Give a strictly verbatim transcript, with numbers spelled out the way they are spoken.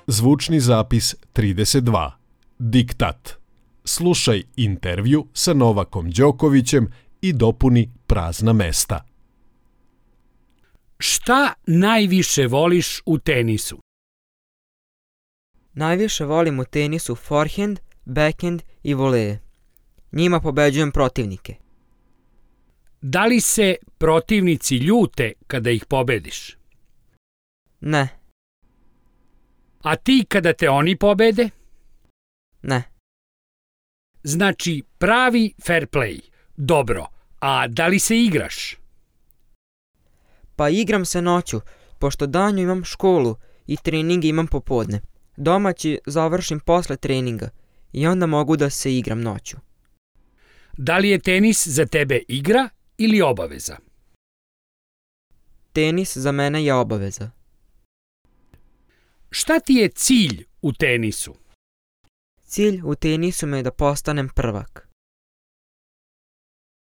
Zvučni zapis trideset dva. Diktat. Slušaj intervju sa Novakom Đokovićem i dopuni prazna mesta. Šta najviše voliš u tenisu? Najviše volim u tenisu forehand, backhand i voleje. Njima pobeđujem protivnike. Da li se protivnici ljute kada ih pobediš? Ne, A ti kada te oni pobede? ne. Znači pravi fair play. Dobro, a da li se igraš? Pa igram se noću, pošto danju imam školu i treninge imam popodne. Domaći završim posle treninga i onda mogu da se igram noću. Da li je tenis za tebe igra ili obaveza? Tenis za mene je obaveza. Šta ti je cilj u tenisu? Cilj u tenisu me je da postanem prvak.